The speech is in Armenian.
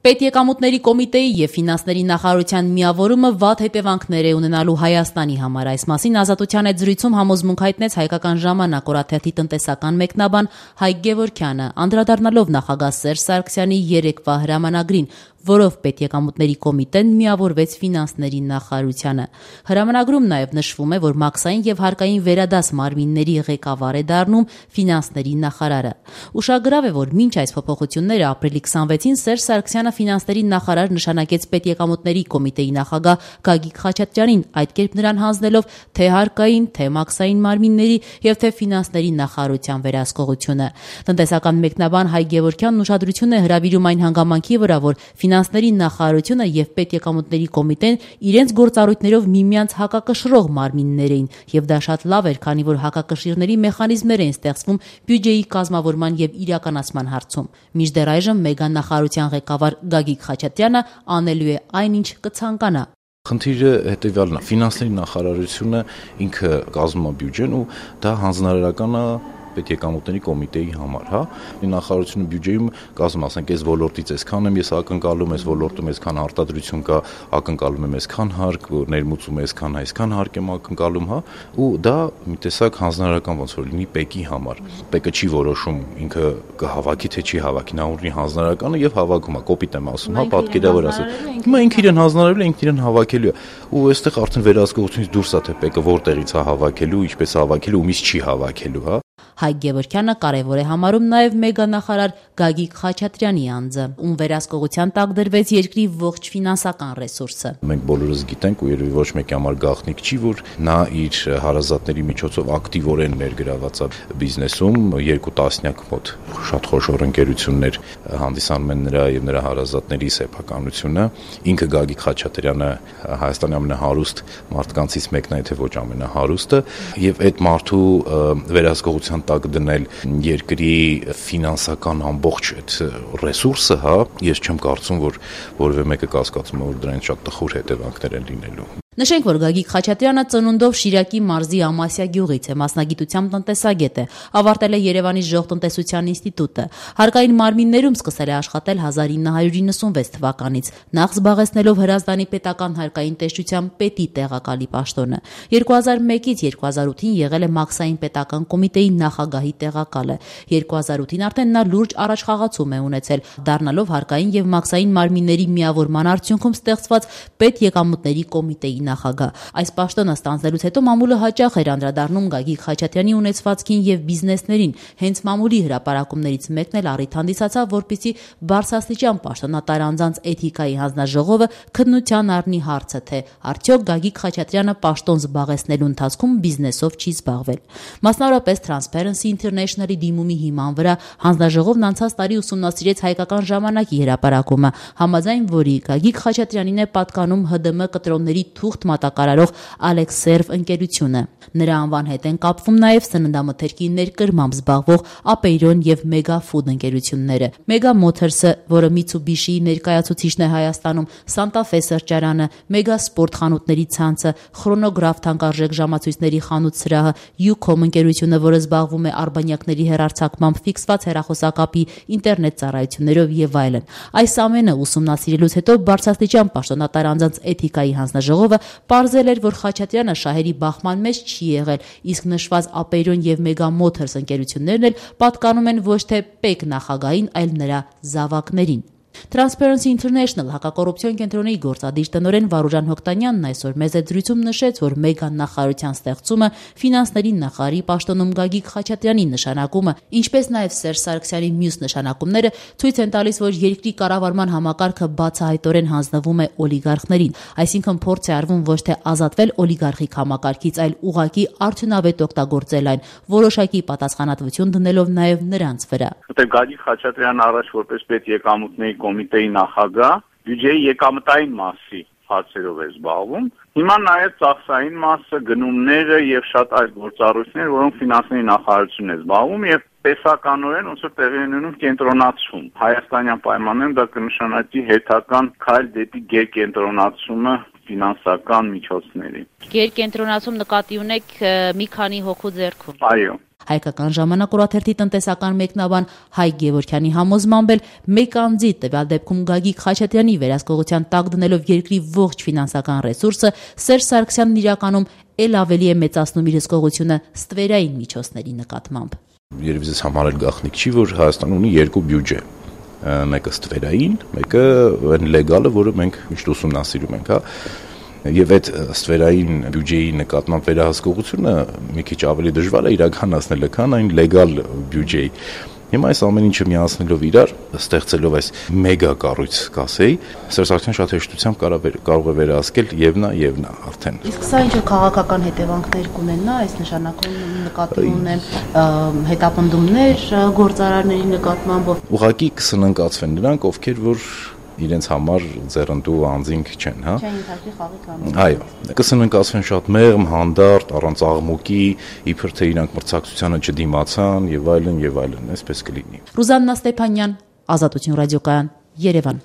Պետեկամուտների կոմիտեի եւ ֆինանսների նախարարության միավորումը վատ հետևանքներ է ունենալու Հայաստանի համար։ Այս մասին Ազատության հետ զրույցում համոզմունք հայտնեց Հայկական ժամանակ օրաթերթի տնտեսական մեկնաբան Հայկ Գևորգյանը, անդրադառնալով նախագահ Սերժ Սարգսյանի երեկվա հրամանագրին, որով Պետեկամուտների կոմիտեն միավորվեց ֆինանսների նախարարությանը։ Հրամանագրում նաև նշվում է, որ մաքսային եւ հարկային վերադաս մարմինների ղեկավար է դառնում ֆինանսների նախարարը։ Ուշագրավ է, որ մինչ այս փոփոխությունները ապրիլի 26-ին Սերժ Սարգսյանը ֆինանսների նախարար նշանակեց Պետեկամուտների կոմիտեի նախագահ Գագիկ Խաչատրյանին, այդ կերպ նրան հանձնելով թե հարկային, թե մաքսային մարմինների եւ թե ֆինանսների նախարարության վերահսկողությունը։ Տնտեսական մեկնաբան Հայկ Գևորգյանն ուշադրություն է հրավիրում այն հանգամանքի վրա, որ ֆինանսների նախարարությունը եւ Պետեկամուտների կոմիտեն իրենց գործառույթներով միմյանց հակակշռող մարմիններ էին, եւ դա շատ լավ էր, քանի որ հակակշիռների մեխանիզմներ էին ստեղծվում բյուջեի կազմավորման եւ իրականացման հարցում։ Մինչդեռ այժմ մեգանախարարության ղեկավար Գագիկ Խաչատրյանը անելու է այնինչ կցանկանա։ Խնդիրը հետևյալն է. ֆինանսների նախարարությունը ինքը կազմում է բյուջեն ու դա հանձնարարական է Պետեկամուտների կոմիտեի համար, հա։ Նախարարությունը բյուջեում կազմում, ասենք, այս ոլորտից այսքան եմ ես ակնկալում, այս ոլորտում այսքան արտադրություն կա, ակնկալում եմ այսքան հարկ, ներմուծում այսքան, այսքան հարկ եմ ակնկալում, հա, ու դա մի տեսակ հանձնարարական ոնց որ լինի ՊԵԿ-ի համար։ ՊԵԿ-ը չի որոշում ինքը կհավաքի թե չի հավաքի, նա ունի հանձնարարականը եւ հավաքում է, կոպիտ եմ ասում, հա, պատկերավոր ասել։ Հիմա ինքը իրեն հանձնարարել է, ինքն իրեն հավաքելու է։ Ու այստեղ արդեն վերահսկողությունից դուրս է թե ՊԵԿ-ը որտեղից է հավաքելու, ինչպես է հավաքելու, ումից չի հավաքելու, հա։ Հայկ Գևորգյանը կարևոր է համարում նաև մեգանախարար Գագիկ Խաչատրյանի անձը, ում վերահսկողության տակ դրվեց երկրի ողջ ֆինանսական ռեսուրսը։ Մենք բոլորս գիտենք ու երևի ոչ մեկի համար գաղտնիք չի, որ նա իր հարազատների միջոցով ակտիվորեն ներգրաված է բիզնեսում, 2 տասնյակ մոտ շատ խոշոր ընկերություններ հանդիսանում են նրա եւ նրա հարազատների սեփականությունը։ Ինքը Գագիկ Խաչատրյանը Հայաստանի ամենահարուստ մարդկանցից մեկն է, եթե ոչ ամենահարուստը, եւ այդ մարդու վերահսկողության տակ դնել երկրի ֆինանսական ամբողջ այդ ռեսուրսը, հա, ես չեմ կարծում, որ որևէ մեկը կասկածում է, որ դրանից շատ տխուր հետևանքներ են լինելու։ Նշենք, որ Գագիկ Խաչատրյանը ծնունդով Շիրակի մարզի Ամասիա գյուղից է, մասնագիտությամբ տնտեսագետ է, ավարտել է Երևանի Ժողտնտեսության ինստիտուտը։ Հարկային մարմիններում սկսել է աշխատել 1996 թվականից, նախ զբաղեցնելով Հրազդանի պետական հարկային տեսչության պետի տեղակալի պաշտոնը։ 2001-ից 2008-ին եղել է մաքսային պետական կոմիտեի նախագահի տեղակալը։ 2008-ին արդեն նա լուրջ առաջխաղացում է ունեցել, դառնալով հարկային եւ մաքսային մարմինների միավորման արդյունքում ստեղծված Պետեկամուտների կոմիտեի նախագահ։ Այս պաշտոնը ստանձնելուց հետո մամուլը հաճախ էր անդրադառնում Գագիկ Խաչատրյանի ունեցվածքին եւ բիզնեսներին։ Հենց մամուլի հրապարակումներից մեկն էլ առիթ հանդիսացավ, որպեսզի բարձրաստիճան պաշտոնատար անձանց էթիկայի հանձնաժողովը քննության առնի հարցը, թե արդյոք Գագիկ Խաչատրյանը պաշտոն զբաղեցնելու ընթացքում բիզնեսով չի զբաղվել։ Մասնավորապես Transparency International-ի դիմումի հիման վրա հանձնաժողովն անցած տարի ուսումնասիրեց Հայկական ժամանակի հրապարակումը, համաձայն որի Գագիկ Խաչատրյանին է պատկանում ՀԴՄ կտրոնների թուղթ մատակարարող Ալեքսերվ ընկերությունը։ Նրա անվան հետ են կապվում նաև սննդամթերքի ներկրմամբ զբաղվող Ապեյրոն եւ Մեգա Ֆուդ ընկերությունները։ Մեգա Մոթերսը, որը Mitsubishi-ի ներկայացուցիչն է Հայաստանում, Santa Fe սրճարանը, Մեգա Սպորտ խանութների ցանցը, Chronograph թանկարժեք ժամացույցների խանութ սրահը, Ucom ընկերությունը, որը զբաղվում է արբանյակների հեռարձակմամբ, ֆիքսված հեռախոսակապի, ինտերնետ ծառայություններով եւ այլն։ Այս ամենը ուսումնասիրելուց հետո բարձրաստիճան պաշտոնատար անձանց էթիկայի հանձնաժողովը պարզել էր, որ Խաչատրյանը շահերի բախման մեջ չի եղել, իսկ նշված Ապեյրոն եւ Մեգա Մոթերս ընկերություններն էլ պատկանում են ոչ թե ՊԵԿ նախագահին, այլ նրա զավակներին։ Transparency International հակակոռուպցիոն կենտրոնի գործադիր տնօրեն Վարուժան Հոկտանյանն այսօր մեծ զրույցում նշեց, որ մեգանախարարության ստեղծումը, ֆինանսների նախարարի պաշտոնում Գագիկ Խաչատրյանի նշանակումը, ինչպես նաև Սերժ Սարգսյանի մյուս նշանակումները ցույց են տալիս, որ երկրի կառավարման համակարգը բացահայտորեն հանձնվում է օլիգարխներին, այսինքն փորձ է արվում ոչ թե ազատվել օլիգարխիկ համակարգից, այլ ուղղակի արդյունավետ օգտագործել այն, որոշակի պատասխանատվություն դնելով նաև նրանց վրա։ Գագիկ Խաչատրյանն առաջ որպես պետեկամուտների կոմիտեի նախագահ բյուջեի եկամտային մասի հարցերով է զբաղվում։ Հիմա նաև ծախսային մասը, գնումները եւ շատ այլ գործառույթներ, որոնք ֆինանսների նախարարությունն է զբաղվում եւ տեսականորեն ոնց որ տեղի ունենում կենտրոնացում։ Հայաստանյան պայմաններում դա կնշանակի հետական քայլ դեպի գերկենտրոնացումը ֆինանսական միջոցների։ Գերկենտրոնացում նկատի ունեք մի քանի հոգու ձեռքում։ Այո։ Հայկական ժամանակ օրաթերթի տնտեսական մեկնաբան Հայկ Գևորգյանի համոզմամբ էլ մեկ անձի տվյալ դեպքում Գագիկ Խաչատրյանի վերահսկողության տակ դնելով երկրի ողջ ֆինանսական ռեսուրսը Սերժ Սարգսյանն իրականում ել ավելի է մեծացնում իր հսկողությունը ստվերային միջոցների նկատմամբ։ Երևի ձեզ համար էլ գաղտնիք չի, որ Հայաստանը ունի երկու բյուջե։ Մեկը ստվերային, մեկը այն լեգալը, որը մենք միշտ ուսումնասիրում ենք, հա։ Եվ այդ ստվերային բյուջեի նկատմամբ վերահսկողությունը մի քիչ ավելի դժվար է իրականացնել, քան այն լեգալ բյուջեի։ Հիմա այս ամեն ինչը միացնելով իրար, ստեղծելով այս մեգա կառույց, կասեի, Սերժ Սարգսյանը շատ հեշտությամբ կարող է վերահսկել եւ նա արդեն։ Իսկ սա ինչ քաղաքական հետևանքներ կունենա, այս նշանակում նկատի ունեմ հետապնդումներ գործարարների նկատմամբ։ Ուղղակի կսննկացվեն նրանք, ովքեր որ իրենց համար ձեռնտու անձինք չեն, հա։ Չեն ինքնին խաղի կանոն։ Այո, կսննկացվեն շատ մեղմ, հանդարտ, առանց աղմուկի, իբր թե իրանք մրցակցությանը չդիմացան եւ այլն, այսպես կլինի։ Ռուզաննա Ստեփանյան, Ազատություն ռադիոկայան, Երևան։